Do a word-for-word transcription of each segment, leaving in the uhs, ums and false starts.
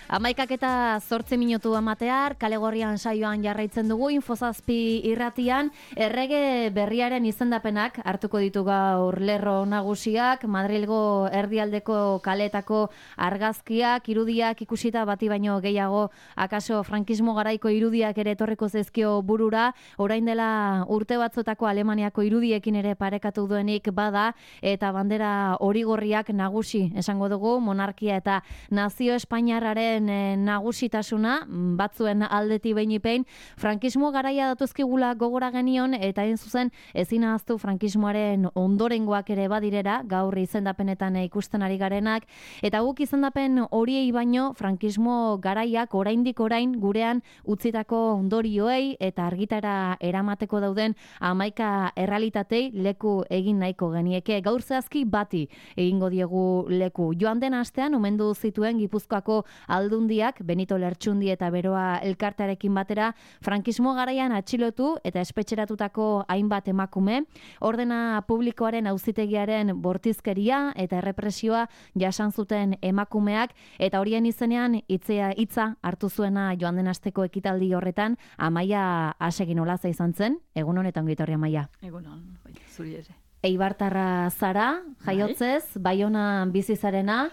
Amaikak eta zortzi minutu amatear, kale gorrian saioan jarraitzen dugu, Infozazpi irratian, errege berriaren izendapenak hartuko ditu gaur lerro nagusiak, Madrilgo erdialdeko kaleetako argazkiak, irudiak ikusita bati baino gehiago, akaso frankismo garaiko irudiak ere etorriko zezkio burura, orain dela urte batzotako Alemaniako irudiekin ere parekatu duenik bada, eta bandera hori gorriak nagusi esango dugu, monarkia eta nazio espainiarraren nagusitasuna, batzuen aldeti behin frankismo garaia datuzkigula gogora genion, eta hain zuzen ezin ahaztu frankismoaren ondorengoak ere badirera, gaur izendapenetan ikusten ari garenak, eta guk izendapen horiei baino frankismo garaiak oraindik orain gurean utzitako ondorioei eta argitara eramateko dauden hamaika errealitatei leku egin nahiko genieke. Gaur zehazki bati egingo diegu leku. Joan den astean omendu zituen Gipuzkoako aldundiak, Benito Lertxundi eta Beroa elkartearekin batera, frankismo garaian atxilotu eta espetxeratutako hainbat emakume, ordena publikoaren auzitegiaren bortizkeria eta errepresioa jasan zuten emakumeak, eta horien izenean hitzea hitza hartu zuena joan den asteko ekitaldi horretan, Amaia Asegin Olaza izan zen. Egun honetan gitorri, Amaia. Egunon, bai, zuri ere. Eibartarra zara, jaiotzez, Baionan bizi zarena,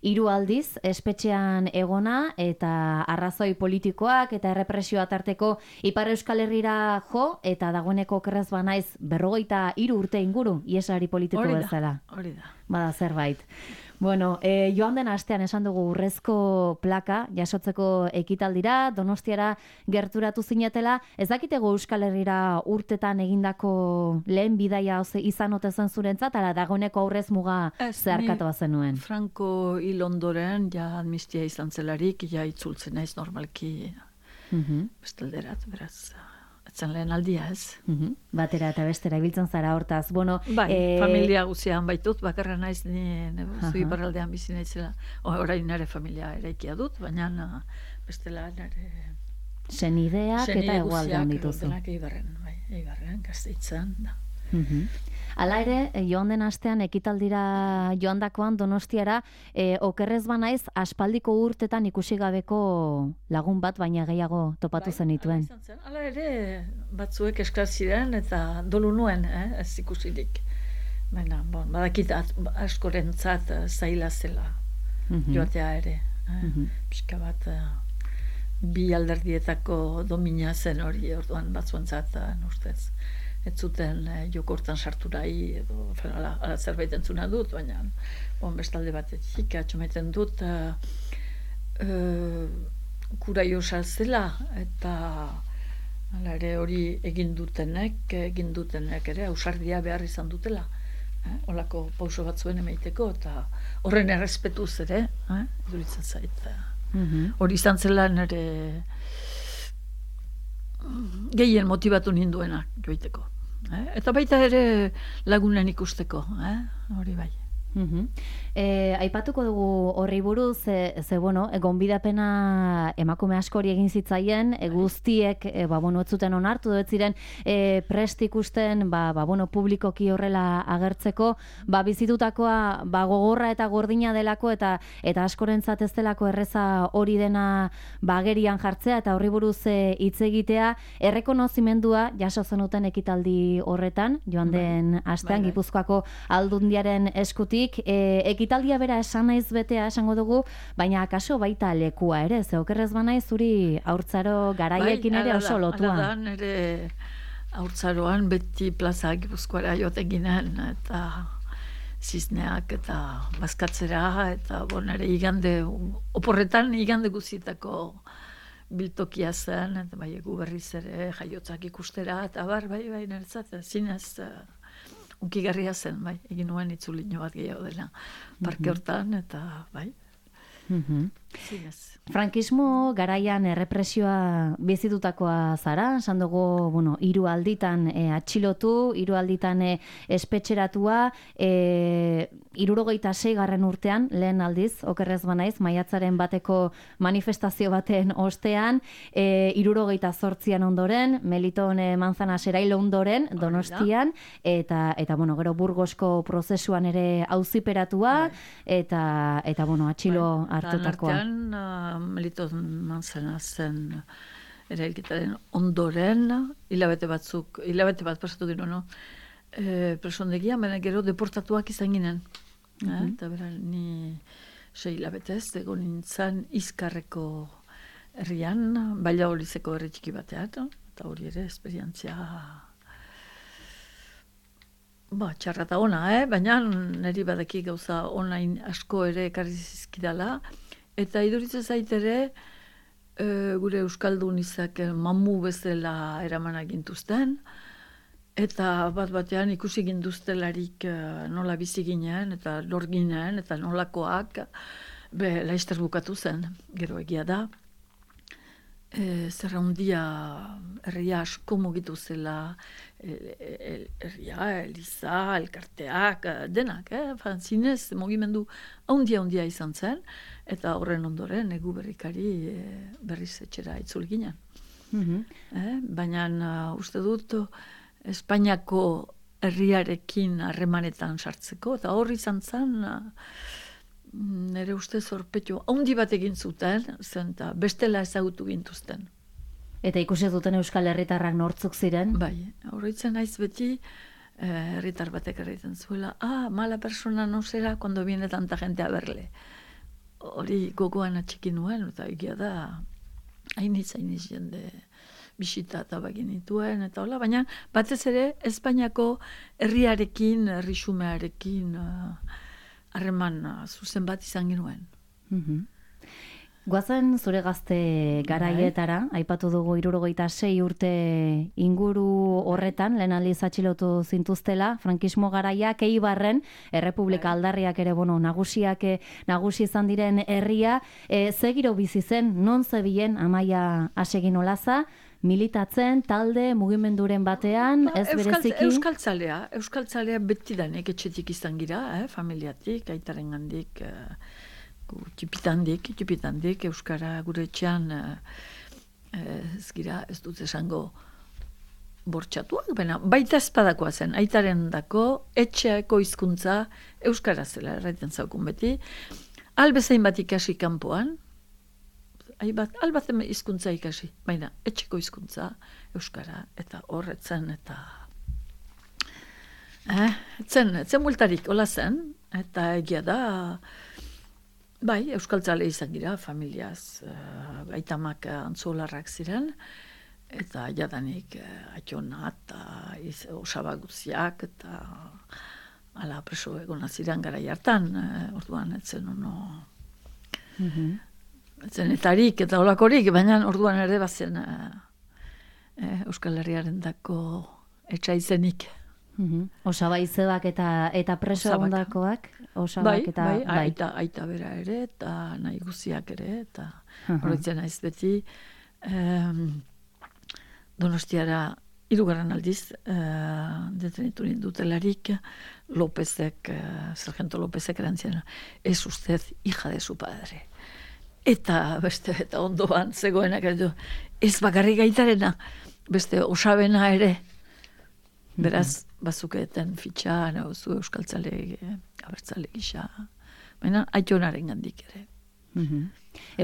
hiru aldiz espetxean egona eta arrazoi politikoak eta errepresioa tarteko Ipar Euskal Herrira jo, eta dagoeneko okerrez banaiz berrogeita hiru urte inguru iesari politiko bezala. Hori da. Bada zerbait. Bueno, eh, joan den astean esan dugu urrezko plaka jasotzeko ekitaldira, Donostiara gerturatu zinetela, ez dakitego Euskal Herrira urtetan egindako lehen bidaia izan ote zen zurentzat, ala dagoeneko aurrez muga zeharkatu zenuen? Franco hil ondoren, ja amnistia izan zelarik, ja itzultzen naiz normalki uh-huh. bestalderat, beraz... Etzen lehen aldia, ez? Uh-huh. Batera eta bestera ibiltzen zara hortaz. Bueno, bai, eh... familia guzian baitut, bakarra naiz ni zui uh-huh. barraldean bizi naizela. Orain nire familia eraikia dut, baina bestela nire... Senideak eta egualdean dituzu. Denak eibarren, bai, eibarren, Gasteitzan, da. Uh-huh. Hala ere, joan den astean ekitaldira joandakoan Donostiara, e, okerrez banaiz aspaldiko urtetan ikusi gabeko lagun bat, baina gehiago topatu bai, zenituen. Zen. Hala ere, batzuek eskar ziren eta dolu nuen, eh, ez ikusirik. Baina, bon, badakit askorentzat zaila zela uh-huh. joatea ere. Eh? Uh-huh. Pixka bat, bi alderdietako domina zen hori, orduan batzuentzat, ustez. Ez zuten eh, jokortan sarturai edo ala, ala zerbait entzuna dut, baina bon, bestalde batetik atxometen dut uh, uh, kuraio salzela eta ala ere hori egin dutenek, egin dutenek ere ausardia behar izan dutela. Eh? Olako pauso batzuen emaiteko eta horren errespetuz ere, eh? duritzen zait. Uh-huh. Hori izan zela nire gehien motibatu ninduena joiteko. Eh? Eta baita ere lagunen ikusteko, eh? Hori bai. Uh-huh. E, aipatuko dugu horri buruz, ze, ze bueno, gonbidapena emakume askori egin zitzaien, e, guztiek e, ba, bueno, ez zuten onartu, ez ziren e, prest ikusten ba, ba, bueno, publikoki horrela agertzeko, ba, bizitutakoa ba, gogorra eta gordina delako eta eta askorentzat ez delako erreza hori dena ba, agerian jartzea eta horri buruz hitz egitea, errekonozimendua jaso zenuten ekitaldi horretan, joan den bai, astean, bai, Gipuzkoako aldundiaren eskutik. E, ekitaldia bera esan naiz betea esango dugu, baina akaso baita lekua ere, ze okerrez banaiz zuri haurtzaro garaiekin bai, ere oso lotua. Bai, ala da, nire haurtzaroan beti plaza Gipuzkoara joten ginen, eta zizneak eta bazkatzera, eta bon, ere igande, oporretan igande guzitako biltokia zen, eta bai egu berriz ere jaiotzak ikustera, eta bar, bai, bai, niretzat, zinez... Unkigarria zen, bai, egin nuen itzulino bat gehiago dela parke hortan, eta bai. Uh-huh. zinez. Frankismo garaian errepresioa bizitutakoa zara, esan dugu, bueno, hiru alditan e, atxilotu, hiru alditan e, espetxeratua, e, hirurogeita sei garren urtean, lehen aldiz, okerrez banaiz, maiatzaren bateko manifestazio baten ostean, e, hirurogeita zortzian ondoren, Meliton e, Manzanas erailo ondoren, Donostian, eta, eta bueno, gero Burgosko prozesuan ere auziperatua, eta, eta bueno, atxilo hartutakoa. Meliton Manzanasen erailketaren ondoren, hilabete batzuk, hilabete bat pasatu gero, no? E, presondegia, baina gero deportatuak izan ginen. Mm -hmm. Eta bera, ni sei hilabetez, egon nintzen Izkarreko herrian, Ballaolizeko herri txiki batean, eta hori ere, esperientzia ba, txarra eta ona, eh? Baina niri badaki gauza onain asko ere ekarri zizkidala, eta iduritzen zait ere, e, gure Euskaldun izak mamu bezala eraman gintuzten, eta bat batean ikusi ginduztelarik e, nola bizi ginen, eta lor ginen, eta nolakoak, be, laizter bukatu zen, gero egia da. E, zerra hundia herria asko mugitu zela, herria, eliza, elkarteak, denak, eh? Zinez, mugimendu haundia hundia izan zen, eta horren ondoren egu berrikari e, berriz etxera itzul ginen. Mm-hmm. eh? Baina uh, uste dut Espainiako herriarekin harremanetan sartzeko, eta hor izan zen uh, nire uste zorpetxo haundi bat egin zuten, zen eta bestela ezagutu gintuzten. Eta ikusi duten Euskal Herritarrak nortzuk ziren? Bai, horretzen naiz beti herritar batek erraiten zuela, ah, mala persona no será cuando viene tanta gente a verle. Hori gogoan atxiki nuen, eta egia da, hainitz, hainitz jende bisita eta bagin nituen, eta hola, baina batez ere Espainiako herriarekin, herrixumearekin, harreman uh, zuzen bat izan genuen. Mm-hmm. Goazen zure gazte garaietara, aipatu dugu hirurogeita sei urte inguru horretan, lehen aldiz atxilotu zintuztela, frankismo garaiak, Eibarren, Errepublika aldarriak ere, bueno, nagusiak nagusi izan diren herria, e, zegiro bizi zen, non zebilen Amaia Asegin Olaza, militatzen, talde, mugimenduren batean, ez bereziki... Euskaltzalea, euskaltzalea betidanek etxetik izan gira, eh, familiatik, aitaren gandik, eh, txipitandik, txipitandik, euskara gure etxean, eh, ez gira, ez dut esango bortxatuak, baina baita espadakoa zen, aitaren dako, etxeako hizkuntza euskara zela, erraiten zaukun beti, albezain bat ikasi kanpoan, Aibat, albat hizkuntza ikasi, baina etxeko hizkuntza euskara, eta horretzen, eta eh, etzen, etzen multarik, hola zen, eta egia da, bai, euskaltzale izan gira, familiaz, uh, aitamak antzolarrak ziren, eta jadanik uh, atxona, eta osabaguziak, eta ala preso egona ziren gara jartan, uh, orduan etzen ono... Mm-hmm. Zenetarik eta olakorik, baina orduan ere bazen uh, eh, Euskal Herriaren dako etxaizenik. Mm-hmm. Osaba izebak eta, eta preso ondakoak? Bai, eta, bai, bai. Aita, aita bera ere, eta nahi guziak ere, eta uh-huh. Horretzen naiz beti um, Donostiara hirugarren aldiz uh, detenitu nindutelarik Lópezek, uh, Sargento Lópezek erantzien, es usted hija de su padre. Eta beste eta ondoan zegoenak ez bakarrik aitarena, beste osabena ere. Beraz, bazukeeten fitxa, nauzu euskaltzale, abertzale gisa. Baina, aitonaren gandik ere. Mm-hmm.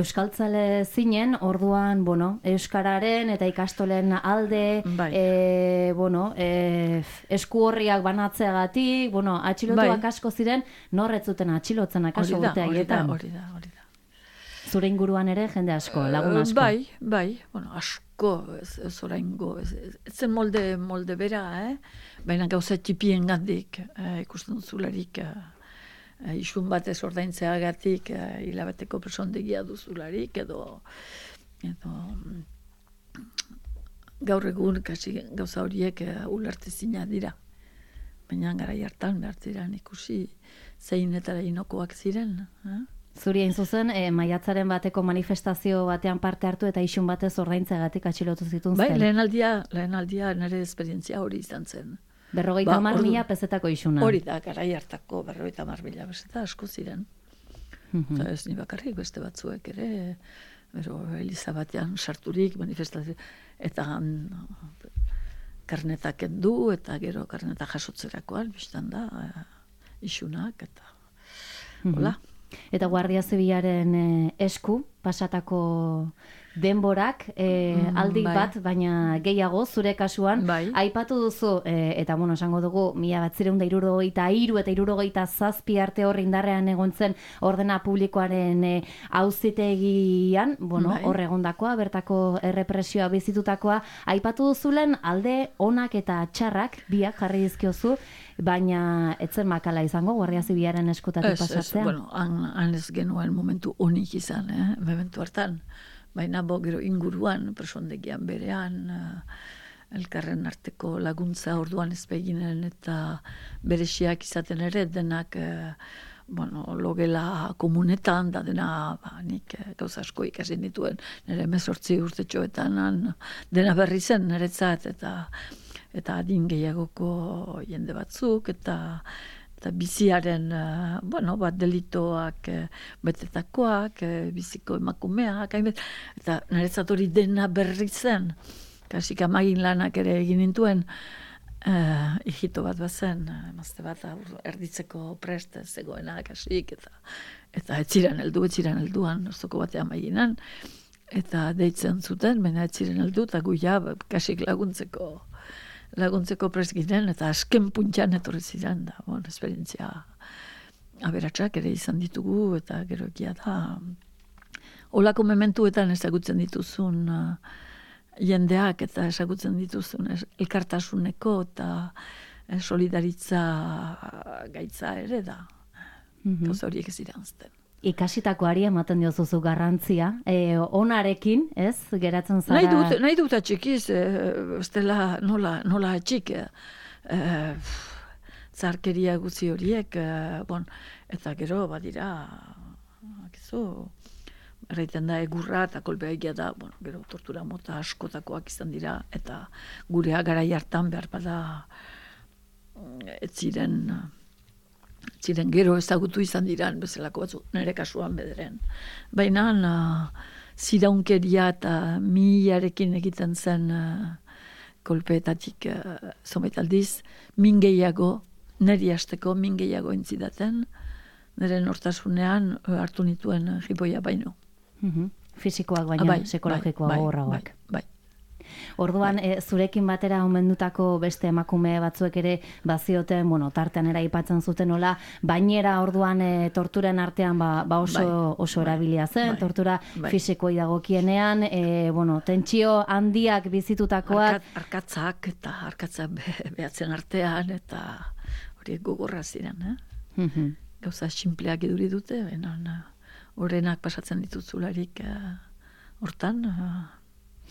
Euskaltzale zinen, orduan, bueno, euskararen eta ikastolen alde, bai. e, bueno, e, esku horriak banatzeagatik, bueno, atxilotuak bai. Asko ziren, norretzuten atxilotzen akaso urte haietan. Hori da, hori da. Zure inguruan ere jende asko, lagun asko. Bai, bai, bueno, asko, ez, ez oraingo, ez, ez zen molde, molde bera, eh? Baina gauza txipien gandik, eh, ikusten duzularik, eh, isun batez ordaintzeagatik, eh, hilabeteko presondegia duzularik, edo, edo gaur egun kasi gauza horiek eh, ulertezina dira. Baina garai hartan behar ziren ikusi zeinetara inokoak ziren, eh? Zuri hain zuzen, e, maiatzaren bateko manifestazio batean parte hartu eta isun batez ordaintzegatik atxilotu zituen zen. Bai, lehen aldia, lehen aldia nire esperientzia hori izan zen. Berrogeita hamar mila pezetako isuna. Hori da, garai hartako berrogeita hamar mila peseta asko ziren. Mm-hmm. Eta ez ni bakarrik beste batzuek ere, bero, Eliza batean sarturik manifestazio, eta karnetak kendu, eta gero karnetak jasotzerakoan, biztan da, isunak, eta hola. Eta Guardia Zibilaren eh, esku pasatako denborak eh, mm, aldi bai. bat, baina gehiago zure kasuan, bai. Aipatu duzu, eh, eta bueno, esango dugu, mila batzireun da irurogeita hiru eta irurogeita zazpi arte hor indarrean egon zen ordena publikoaren eh, auzitegian, bueno, bai. Hor egondakoa, bertako errepresioa bizitutakoa, aipatu duzulen alde onak eta txarrak, biak jarri dizkiozu, baina etzen makala izango, Guardia Zibilaren eskutatik pasatzea. Ez, bueno, han, han ez genuen momentu onik izan, eh, momentu hartan. Baina bo gero inguruan, presondegian berean, uh, elkarren arteko laguntza orduan ezpeginen eta berexiak izaten ere, denak uh, bueno, logela komunetan, da dena ba, nik uh, gauza asko ikasi dituen, nire mezortzi urtetxoetan, dena berri zen niretzat, eta eta adin gehiagoko jende batzuk, eta eta biziaren, uh, bueno, bat delitoak uh, betetakoak, uh, biziko emakumeak, hainbet, eta niretzat hori dena berri zen, kasik amagin lanak ere egin nintuen, uh, hijito bat bazen, uh, emazte bat erditzeko prest zegoena, kasik, eta eta etziren heldu, etziren helduan, oztoko batean maginan, eta deitzen zuten, baina etziren heldu, eta guia kasik laguntzeko, laguntzeko prest ginen, eta asken puntxan etorri ziren da, bon, esperientzia aberatsak ere izan ditugu, eta gero egia da, olako mementuetan ezagutzen dituzun uh, jendeak, eta ezagutzen dituzun es, elkartasuneko, eta eh, solidaritza gaitza ere da, mm-hmm. Gauza horiek ez iranzten. Ikasitakoari ematen diozuzu garrantzia, e, onarekin, ez, geratzen zara... Nahi dut, nahi dut atxikiz, e, estela nola, nola atxik, e, zarkeria guzi horiek, e, bon, eta gero, badira, akizu, erraiten da egurra eta kolpea egia da, bueno, gero tortura mota askotakoak izan dira, eta gurea garai hartan behar bada ez ziren... ziren gero ezagutu izan diran bezalako batzu, nire kasuan bederen. Baina uh, ziraunkeria eta milarekin egiten zen uh, kolpeetatik uh, zomait aldiz, min gehiago, niri hasteko min gehiago entzidaten, nire nortasunean uh, hartu nituen uh, jipoia baino. Mm-hmm. Fisikoak baina, bai, psikologikoa bai, horrauak. Bai, bai. Orduan, e, zurekin batera omendutako beste emakume batzuek ere bazioten, bueno, tartean era aipatzen zuten nola, bainera orduan e, torturen artean ba, ba oso, bai, oso bai, erabilia zen, bai, tortura bai. Fisikoi dagokienean, e, bueno, tentsio handiak bizitutakoak. Arkat, arkatzak eta arkatzak be, behatzen artean, eta horiek gogorra ziren, eh? Mm-hmm. Gauza sinpleak iduri dute, benan, horrenak pasatzen dituzularik hortan, uh,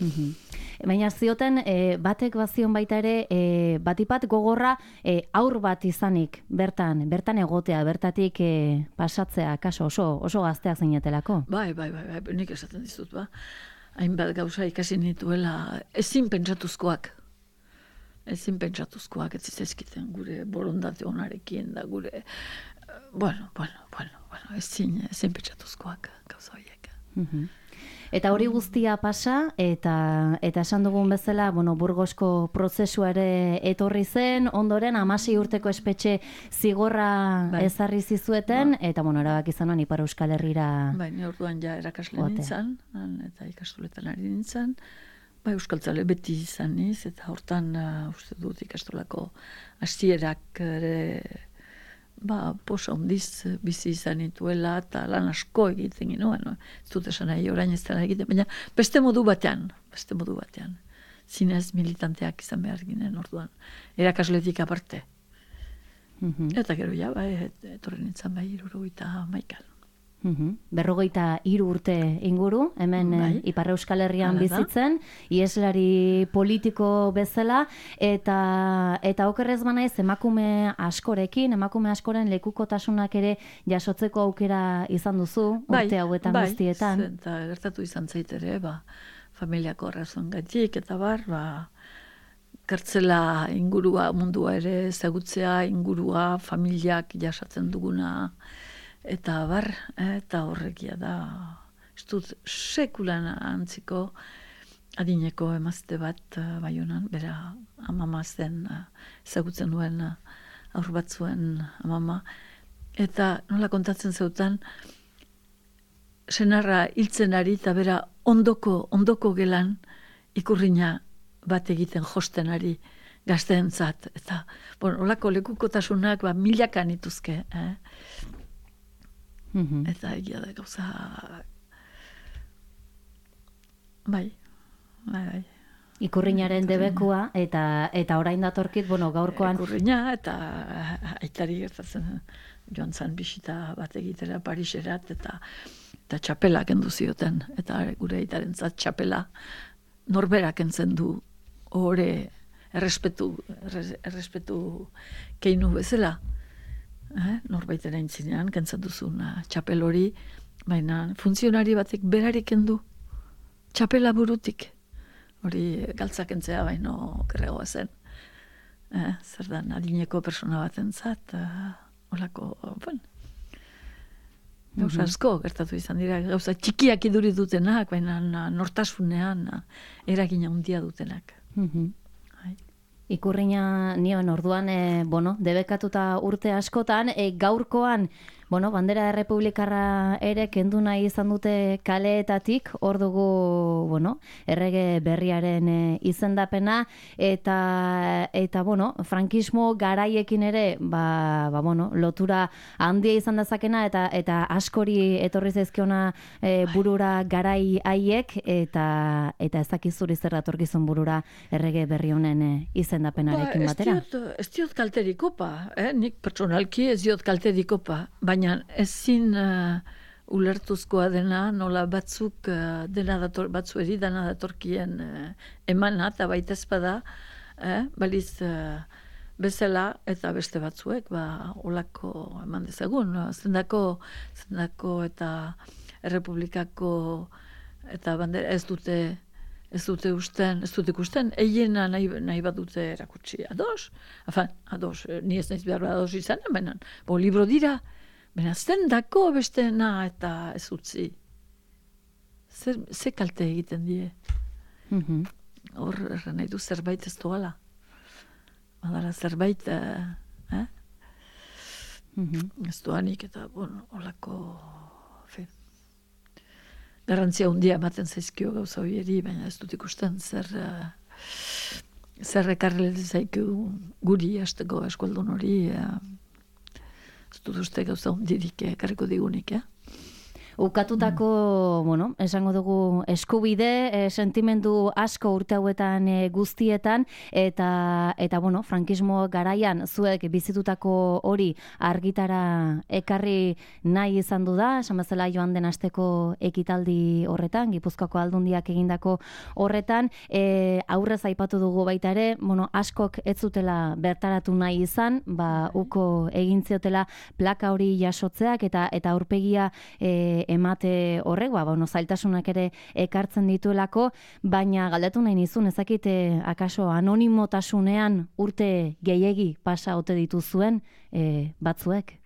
Mm-hmm. Baina zioten e, batek bazion baita ere e, batipat gogorra e, aur bat izanik bertan, bertan egotea, bertatik e, pasatzea, kaso oso, oso gazteak zeinetelako. Bai, bai, bai, bai, nik esaten dizut, ba. Hainbat gauza ikasi nituela ezin pentsatuzkoak. Ezin pentsatuzkoak ez zizkiten gure borondate onarekin da gure, bueno, bueno, bueno, bueno ezin, ezin pentsatuzkoak gauza horiek. Mm-hmm. Eta hori guztia pasa, eta eta esan dugun bezala, bueno, Burgosko prozesua ere etorri zen, ondoren hamasei urteko espetxe zigorra bai. Ezarri zizueten, ba. Eta bueno, erabaki izan Ipar Euskal Herrira. Bai, ni orduan ja erakasle nintzen, eta ikastoletan ari nintzen. Bai, euskaltzale beti izan niz, eta hortan uh, uste dut ikastolako hasierak ere ba, posa hondiz bizi izan nituela, eta lan asko egiten ginoen, no? Ez dut esan nahi, orain ez dena egiten, baina beste modu batean, beste modu batean. Zinez militanteak izan behar ginen orduan, erakasletik aparte. Mm-hmm. Eta gero ja, bai, etorri nintzen bai, iruro eta maikan. Uhum. Berrogeita hiru urte inguru, hemen bai. Ipar Euskal Herrian Hala bizitzen, ieslari politiko bezala, eta eta okerrez banaiz emakume askorekin, emakume askoren lekukotasunak ere jasotzeko aukera izan duzu, bai, urte hauetan bai, guztietan. Bai, eta gertatu izan zaitere, ba, familiako arrazon gaitik, eta bar, ba, kartzela ingurua, mundua ere ezagutzea, ingurua, familiak jasatzen duguna, eta bar, eta horrekia da, ez dut sekulan antziko adineko emazte bat Baionan, bera amama zen, ezagutzen duen aur bat zuen amama, eta nola kontatzen zeutan, senarra hiltzen ari, eta bera ondoko, ondoko gelan ikurrina bat egiten josten ari gazteentzat, eta bueno, olako lekukotasunak ba, milakan ituzke, eh? Mm-hmm. Eta egia da gauza bai, bai, bai. Ikurrinaren debekua, eta eta orain datorkit, bueno, gaurkoan... Ikurrina, eta aitari gertatzen joan zan bisita bat egitera Pariserat, eta eta txapela kendu zioten, eta gure aitarentzat txapela norberak entzen du ore errespetu, errespetu keinu bezala. Eh, norbaitera intzinean, kentzen duzun txapel hori, baina funtzionari batek berarik kendu txapela burutik. Hori galtzak entzea baino kerregoa zen. Eh, zer da, adineko persona bat entzat, eh, olako, bueno, gauza asko gertatu izan dira, gauza txikiak iduri dutenak, baina nortasunean eragina handia dutenak. Mm-hmm. Ikurrina nion orduan, e, bueno, debekatuta urte askotan, e, gaurkoan, bueno, bandera errepublikarra ere kendu nahi izan dute kaleetatik, hor dugu, bueno, errege berriaren e, izendapena, eta, eta, bueno, frankismo garaiekin ere, ba, ba, bueno, lotura handia izan dezakena, eta, eta askori etorri zaizkiona e, burura garai haiek, eta, eta ez dakizuri zer datorkizun burura errege berri honen e, izendapenarekin ba, batera. Ez diot, ez diot kalterikopa, eh? Nik personalki ez diot kalterikopa, baina ezin uh, ulertuzkoa dena, nola batzuk uh, dena dator, batzueri dena datorkien uh, emana, eta baita ezpada, eh? Baliz uh, bezala, eta beste batzuek, ba, olako eman dezagun, no? zendako, zendako eta errepublikako eta bandera ez dute ez dute usten, ez dute ikusten, eiena nahi, nahi bat dute erakutsi ados, afan, ados, ni ez naiz behar ados izan, baina, bo, libro dira, baina zendako besteena eta ez utzi. Zer, ze kalte egiten die. Mm-hmm. Hor, erran nahi du zerbait ez doala. Badala zerbait, eh? eh? Mm-hmm. Ez doanik eta, bueno, olako... Garantzia hundia ematen zaizkio gauza horieri, baina ez dut ikusten zer uh, zer ekarri zaizkio guri hasteko eskualdun hori uh, ez dut uste gauza hundirik ekarriko digunik, eh? Ukatutako, mm. bueno, esango dugu eskubide, e, sentimendu asko urte hauetan e, guztietan, eta, eta bueno, frankismo garaian zuek bizitutako hori argitara ekarri nahi izan du da, esan bezala joan den asteko ekitaldi horretan, Gipuzkoako Aldundiak egindako horretan, e, aurrez aipatu dugu baita ere, bueno, askok ez zutela bertaratu nahi izan, ba, uko egin ziotela plaka hori jasotzeak, eta eta aurpegia e, emate horrek, ba, bueno, zailtasunak ere ekartzen dituelako, baina galdetu nahi nizun, ezakite akaso anonimotasunean urte gehiegi pasa ote dituzuen e, batzuek?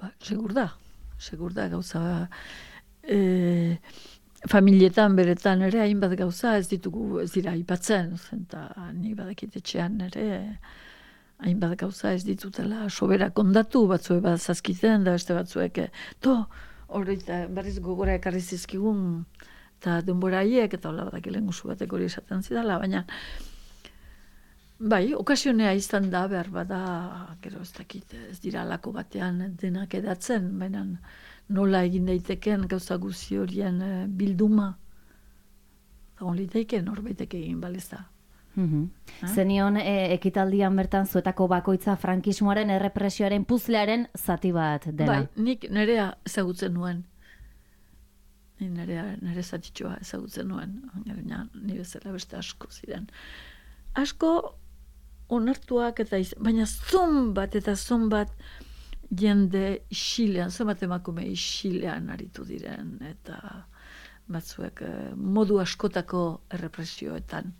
Ba, segur da, segur da gauza, e, familietan beretan ere hainbat gauza ez ditugu, ez dira aipatzen, eta ni badakit etxean ere hainbat gauza ez ditutela sobera kondatu, batzuek bat zazkiten, da beste batzuek, to, hori berriz gogora ekarri zizkigun eta denbora haiek eta hola badak elenguzu batek hori esaten zidala, baina bai, okasionea izan da behar bada, gero ez dakit, ez dira alako batean denak edatzen, baina nola egin daiteken gauza guzi horien bilduma, eta hon litaiken horbaitek egin baleza. Mm-hmm. Eh? Zenion e, ekitaldian bertan zuetako bakoitza frankismoaren errepresioaren puzlearen zati bat dela. Bai, nik nerea ezagutzen nuen. Ni nire, nire zatitxoa ezagutzen nuen, gaina ni bezala beste asko ziren. Asko onartuak eta iz, baina zon bat eta zon bat jende isilean, zon bat emakume isilean aritu diren, eta batzuek modu askotako errepresioetan,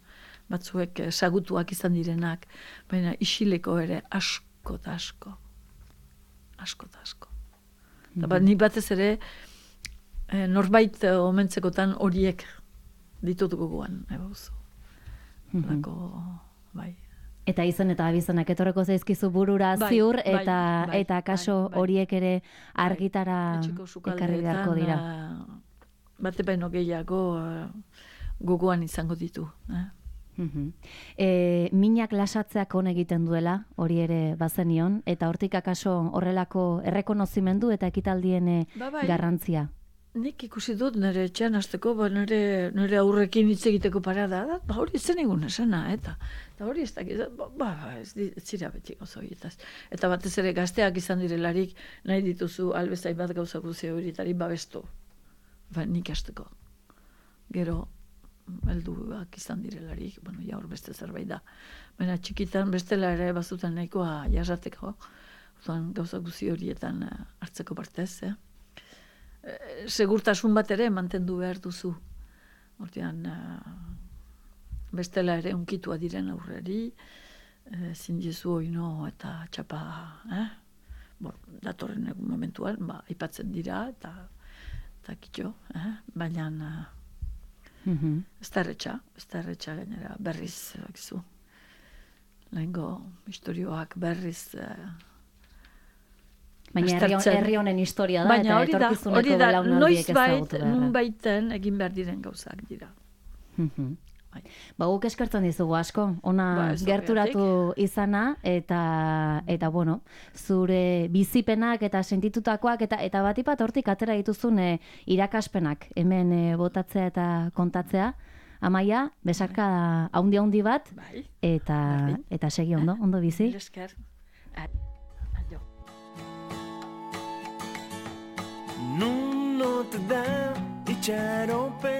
batzuek sagutuak izan direnak, baina isileko ere asko eta asko. Asko eta asko. Eta bat, nik batez ere, eh, norbait eh, omentzekotan horiek ditut gogoan, ebauzu. Lako, bai. Eta izen eta abizenak etorreko zaizkizu burura Bai, ziur, bai, eta bai, eta kaso bai, bai. horiek ere argitara Etxeko ekarri beharko sukaldeetan, dira. eh, bate baino gehiago eh, gogoan izango ditu. Eh? Mhm. E, minak lasatzeak on egiten duela, hori ere bazenion, eta hortik akaso horrelako errekonozimendu eta ekitaldien eh, Ba, bai. garrantzia. Nik ikusi dut nire etxean hasteko, ba, nire, nire aurrekin hitz egiteko parada da, ba, hori zen egun esana, eta, eta hori ez dakit, ba, ba, ez, di- ez zira beti gauza horietaz. Eta batez ere gazteak izan direlarik, nahi dituzu albezain bat gauza guzti horietari babestu. Ba, nik hasteko. Gero, helduak izan direlarik, bueno, ja hor beste zerbait da. Baina txikitan bestela ere bazuten nahikoa jasateko, orduan gauza guzti horietan eh, hartzeko partez, eh? Eh, segurtasun bat ere mantendu behar duzu. Orduan, eh, bestela ere unkitua diren aurreri, eh, zindizu oino eta txapa, eh? Bon, datorren egun momentuan, ba, aipatzen dira, eta, eta kitxo, eh? Baina, eh, Mhm. ez da erretxa, ez da erretxa gainera, berriz, bakizu. Lehengo historioak berriz eh, Baina herri, hon- aztertzen. herri honen historia da, Baina eta hori da, etorkizuneko hori da, belaunaldiek noizbait, ezagutu beharra. nunbaiten egin behar diren gauzak dira. Mhm. Bai. Ba, guk eskertzen dizugu asko, ona Ba, ez gerturatu izana, eta, eta bueno, zure bizipenak eta sentitutakoak, eta eta batipat hortik atera dituzun eh, irakaspenak, hemen eh, botatzea eta kontatzea. Amaia, besarka haundi haundi bat, Bai, eta, Berdin. eta segi ondo, ondo bizi. mila esker. Adio. Non te da itxaropen